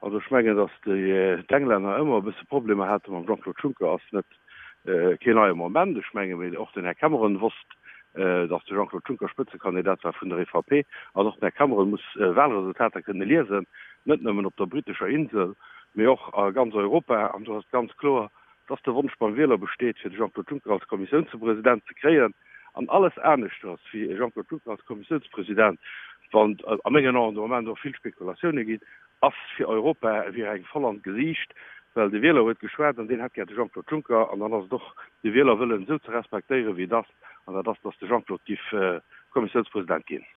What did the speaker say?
Also ech mengen, datt d'Englänner ëmmer e bësse Problemer hate mam Jean-Claude Juncker ass net keen neie Moment. Ech menge mee och den Här Cameron wosst, datt de Jean-Claude Juncker Spëtzekandidat war vun der EVP. An och den Här Cameron muss Wahlresultater kënne liesen, net nëmmen op der brittescher Insel, mee och a ganz Europa. An do ass et ganz kloer, datt de Wonsch beim Wieler besteet, fir de Jean-Claude Juncker als Kommissiounspresident ze kréien. An alles aneschters wéi e Jean-Claude Juncker als Kommissiounspresident, wann a mengen Aen de Moment och vill Spekulatioune ginn, ass fir Europa wier eng voll an d'Gesiicht, well de Wieler huet geschwat an deen hätt gär de Jean-Claude Juncker. An dann ass et och de Wielerwëllen esou ze respektéieren, wéi et ass, an dat ass, datt de Jean-Claude giff Kommissiounspresident ginn.